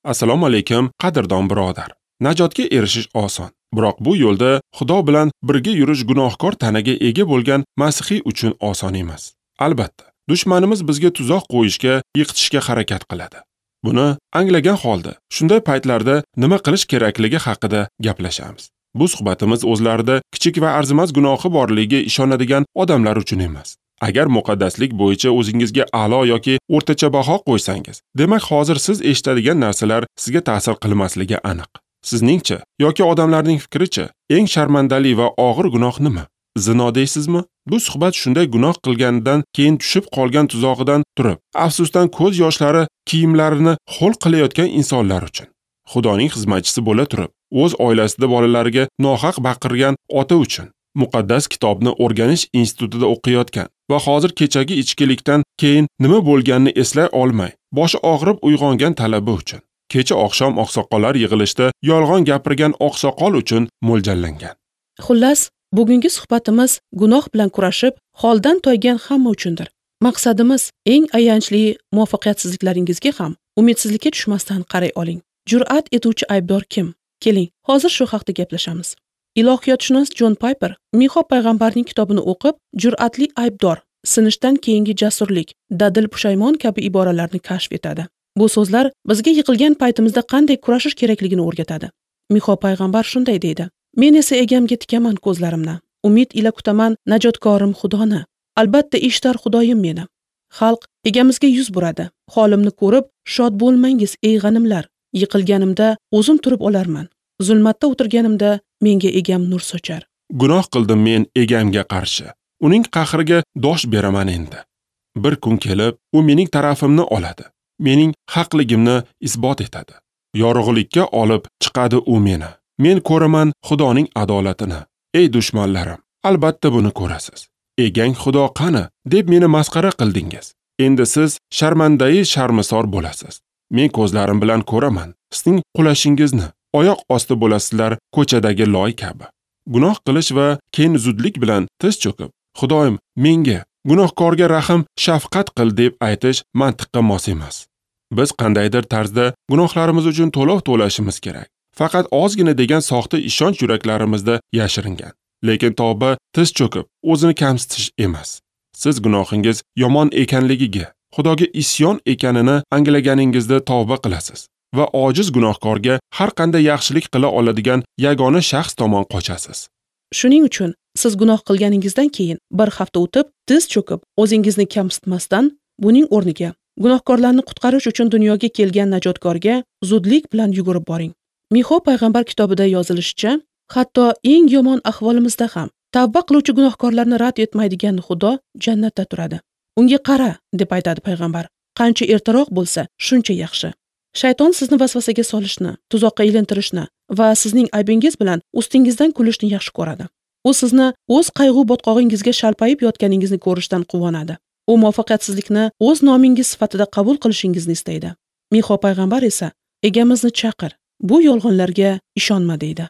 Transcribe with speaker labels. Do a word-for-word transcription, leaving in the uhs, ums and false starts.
Speaker 1: Assalomu alaykum, qadrdon birodar. Najotga erishish oson. Biroq bu yo'lda Xudo bilan birga yurish gunohkor tanaga ega bo'lgan masihiy uchun oson emas. Albatta, dushmanimiz bizga tuzoq qo'yishga, yiqitishga harakat qiladi. Buni anglagan holda shunday paytlarda nima qilish kerakligi haqida gaplashamiz. Bu suhbatimiz o'zlarida kichik va arzimas gunohi borligiga ishonadigan odamlar uchun emas. Agar muqaddaslik bo'yicha o'zingizga a'lo yoki o'rtacha baho qo'ysangiz, demak hozir siz eshitadigan narsalar sizga ta'sir qilmasligi aniq. Sizningcha yoki odamlarning fikricha eng sharmandali va og'ir gunoh nima? Zino deysizmi? Bu suhbat shunday gunoh qilganidan keyin tushib qolgan tuzog'idan turib, afsusdan ko'z yoshlari kiyimlarini ho'l qilayotgan insonlar uchun. Xudoning xizmatchisi bo'la turib, o'z oilasida bolalariga nohaq baqirgan ota uchun, muqaddas kitobni o'rganish institutida o'qiyotgan va hozir kechagi ichkilikdan keyin nima bo'lganini eslay olmay, boshi og'rib uyg'ongan talaba uchun, kecha oqshom oqsoqollar yig'ilishda yolg'on gapirgan oqsoqol uchun mo'ljallangan.
Speaker 2: Xullas, bugungi suhbatimiz gunoh bilan kurashib, holdan toygan hamma uchundir. Maqsadimiz eng ayanchli muvaffaqiyatsizliklaringizga ham umidsizlikka tushmasdan qaray oling. Jur'at etuvchi aybdor kim? Keling, hozir shu haqda gaplashamiz. Ilohiyotshunos Jon Piper Mixo payg'ambarning kitobini o'qib, jur'atli aybdor, sinishdan keyingi jasurlik, dadil pushaymon kabi iboralarni kashf etadi. Bu so'zlar bizga yiqilgan paytimizda qanday kurashish kerakligini o'rgatadi. Mixo payg'ambar shunday deydi: Men esa egamga tikaman ko'zlarimni, umid ila kutaman najotkorim Xudoni. Albatta eshitar Xudoyim meni. Xalq egamizga yuz buradi. Holimni ko'rib shod bo'lmangiz ey g'animlar. Yiqilganimda o'zim turib olarman. Zulmatda o'tirganimda menga egam nur sochar.
Speaker 1: Gunoh qildim men egamga qarshi. Uning qahriga dosh beraman endi. Bir kun kelib, u mening tarafimni oladi. Mening haqligimni isbot etadi. Yorug'likka olib chiqadi u meni. Men ko'raman Xudoning adolatini. Ey dushmanlarim, albatta buni ko'rasiz. Egang Xudo qani deb meni masxara qildingiz. Endi siz sharmandai sharmisor bo'lasiz. Men ko'zlarim bilan ko'raman sizning qulashingizni. Oyoq osti bo'lasizlar ko'chadagi loy kabi. Gunoh qilish va keyin zudlik bilan tiz cho'kib, Xudoyim, menga, gunohkorga rahm, shafqat qil deb aytish mantiqqa mos emas. Biz qandaydir tarzda gunohlarimiz uchun to'lov to'lashimiz kerak. Faqat ozgina degan soxta ishonch yuraklarimizda yashiringan. Lekin tavba tiz cho'kib, o'zini kamsitish emas. Siz gunohingiz yomon ekanligiga, Xudoga isyon ekanini anglaganingizda tavba qilasiz va ojiz gunohkorga har qanday yaxshilik qila oladigan yagona shaxs tomon qochasiz.
Speaker 2: Shuning uchun siz gunoh qilganingizdan keyin bir hafta o'tib, tiz cho'kib, o'zingizni kamsitmasdan, buning o'rniga gunohkorlarni qutqarish uchun dunyoga kelgan najotkorga zudlik bilan yugurib boring. Mixo payg'ambar kitobida yozilishicha, hatto eng yomon ahvolimizda ham tavba qiluvchi gunohkorlarni rad etmaydigan Xudo jannatda turadi. Unga qara, deb aytadi payg'ambar. Qancha ertaroq bo'lsa, shuncha yaxshi. Shayton sizni vasvasaga solishni, tuzoqqa ilintirishni va sizning aybingiz bilan ustingizdan kulishni yaxshi ko'radi. U sizni o'z qayg'u botqog'ingizga shalpayib yotganingizni ko'rishdan quvonadi. U muvaffaqiyatsizlikni o'z nomingiz sifatida qabul qilishingizni istaydi. Mixo payg'ambar esa egamizni chaqir, bu yolg'onlarga ishonma deydi.